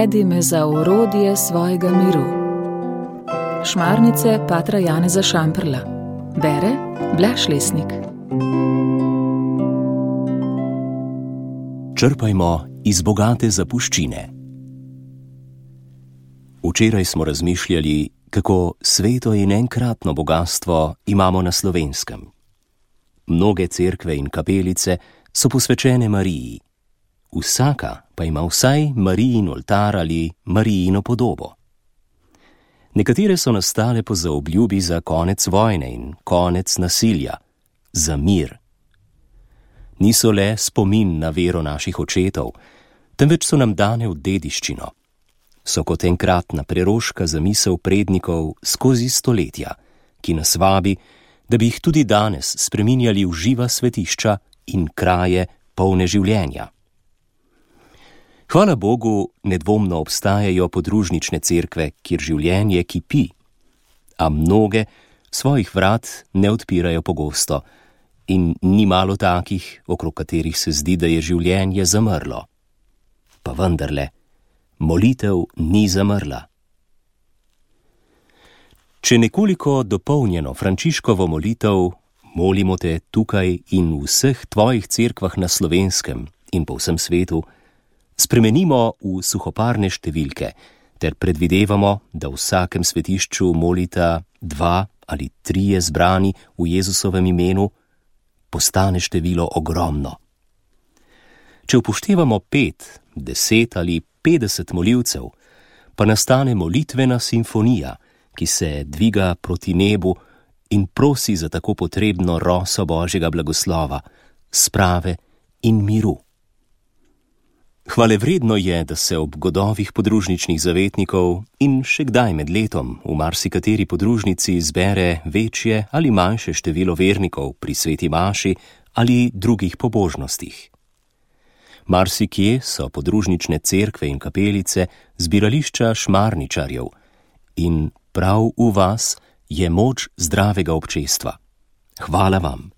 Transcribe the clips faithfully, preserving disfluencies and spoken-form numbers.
Navedi me za orodje svojega miru. Šmarnice patra Janeza Šamprla. Bere Blaž Lesnik. Črpajmo iz bogate zapuščine. Včeraj smo razmišljali, kako sveto in enkratno bogastvo imamo na Slovenskem. Mnoge cerkve in kapelice so posvečene Mariji. Vsaka pa ima vsaj Marijin oltar ali Marijino podobo. Nekatere so nastale po zaobljubi za konec vojne in konec nasilja, za mir. Niso le spomin na vero naših očetov, temveč so nam dane v dediščino. So kot enkratna preroška zamisel prednikov skozi stoletja, ki nas vabi, da bi jih tudi danes spreminjali v živa svetišča in kraje polne življenja. Hvala Bogu, nedvomno obstajajo podružnične cerkve, kjer življenje kipi, a mnoge svojih vrat ne odpirajo pogosto in ni malo takih, okrog katerih se zdi, da je življenje zamrlo. Pa vendarle, molitev ni zamrla. Če nekoliko dopolnjeno Frančiškovo molitev, molimo te tukaj in v vseh tvojih cerkvah na Slovenskem in po vsem svetu, spremenimo v suhoparne številke ter predvidevamo, da v vsakem svetišču molita dva ali trije zbrani v Jezusovem imenu, postane število ogromno. Če upoštevamo pet, deset ali petdeset molivcev, pa nastane molitvena simfonija, ki se dviga proti nebu in prosi za tako potrebno roso Božjega blagoslova, sprave in miru. Hvalevredno je, da se ob godovih podružničnih zavetnikov in še kdaj med letom v marsikateri podružnici zbere večje ali manjše število vernikov pri sveti maši ali drugih pobožnostih. Marsikje so podružnične cerkve in kapelice zbirališča šmarničarjev in prav v vas je moč zdravega občestva. Hvala vam.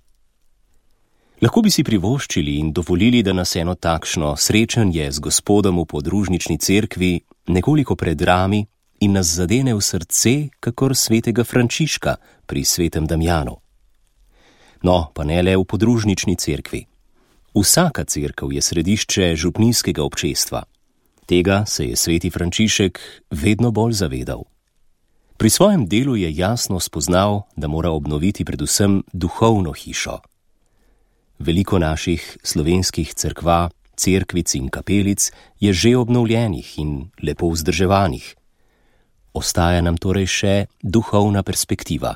Lahko bi si privoščili in dovolili, da nas eno takšno srečanje z Gospodom v podružnični cerkvi nekoliko predrami in nas zadene v srce, kakor svetega Frančiška pri svetem Damjanu. No, pa ne le v podružnični cerkvi. Vsaka cerkev je središče župnijskega občestva. Tega se je sveti Frančišek vedno bolj zavedal. Pri svojem delu je jasno spoznal, da mora obnoviti predvsem duhovno hišo. Veliko naših slovenskih cerkva, cerkvic in kapelic je že obnovljenih in lepo vzdrževanih. Ostaja nam torej še duhovna perspektiva.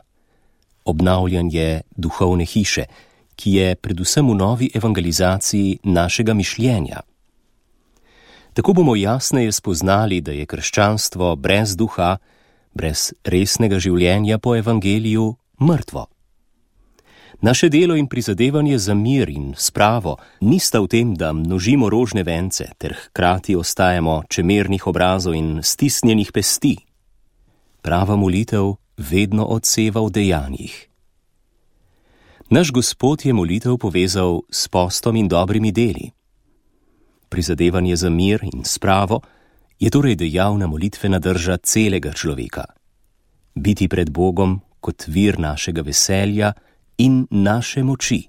Obnavljanje duhovne hiše, ki je predvsem v novi evangelizaciji našega mišljenja. Tako bomo jasneje spoznali, da je krščanstvo brez duha, brez resnega življenja po evangeliju mrtvo. Naše delo in prizadevanje za mir in spravo nista v tem, da množimo rožne vence ter hkrati ostajamo čemernih obrazov in stisnjenih pesti. Prava molitev vedno odseva v dejanjih. Naš Gospod je molitev povezal s postom in dobrimi deli. Prizadevanje za mir in spravo je torej dejavna molitvena drža celega človeka. Biti pred Bogom kot vir našega veselja in naše moči.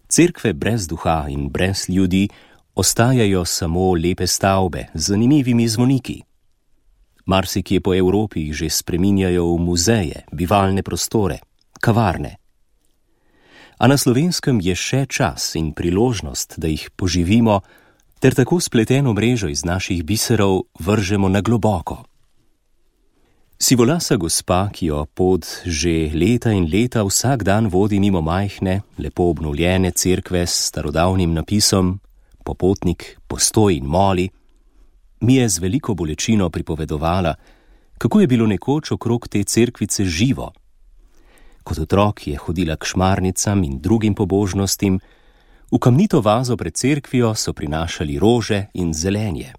Cerkve brez duha in brez ljudi ostajajo samo lepe stavbe z zanimivimi zvoniki. Marsikje po Evropi jih že spreminjajo v muzeje, bivalne prostore, kavarne. A na Slovenskem je še čas in priložnost, da jih poživimo, ter tako spleteno mrežo iz naših biserov vržemo na globoko. Sivolasa gospa, ki jo pot že leta in leta vsak dan vodi mimo majhne, lepo obnovljene cerkve s starodavnim napisom Popotnik, postoj in moli, mi je z veliko bolečino pripovedovala, kako je bilo nekoč okrog te cerkvice živo. Kot otrok je hodila k šmarnicam in drugim pobožnostim, v kamnito vazo pred cerkvijo so prinašali rože in zelenje.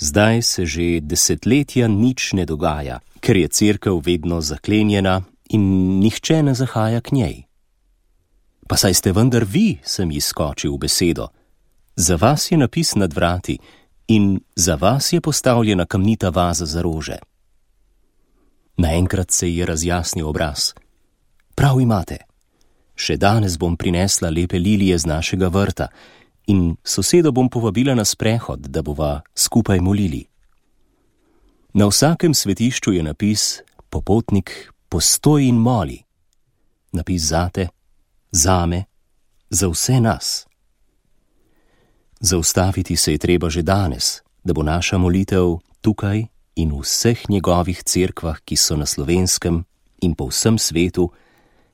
Zdaj se že desetletja nič ne dogaja, ker je cerkev vedno zaklenjena in nihče ne zahaja k njej. Pa saj ste vendar vi, sem ji skočil v besedo. Za vas je napis nad vrati in za vas je postavljena kamnita vaza za rože. Naenkrat se ji je razjasnil obraz. Prav imate. Še danes bom prinesla lepe lilije z našega vrta in sosedo bom povabila na sprehod, da bova skupaj molili. Na vsakem svetišču je napis Popotnik, postoj in moli. Napis zate, zame, za vse nas. Zaustaviti se je treba že danes, da bo naša molitev tukaj in v vseh njegovih cerkvah, ki so na Slovenskem in po vsem svetu,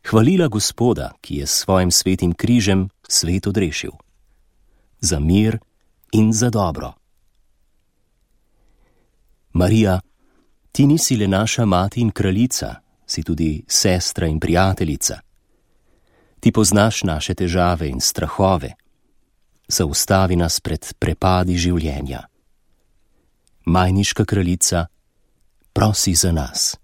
hvalila Gospoda, ki je s svojim svetim križem svet odrešil. Za mir in za dobro. Marija, ti nisi le naša mati in kraljica, si tudi sestra in prijateljica. Ti poznaš naše težave in strahove. Zaustavi nas pred prepadi življenja. Majniška kraljica, prosi za nas.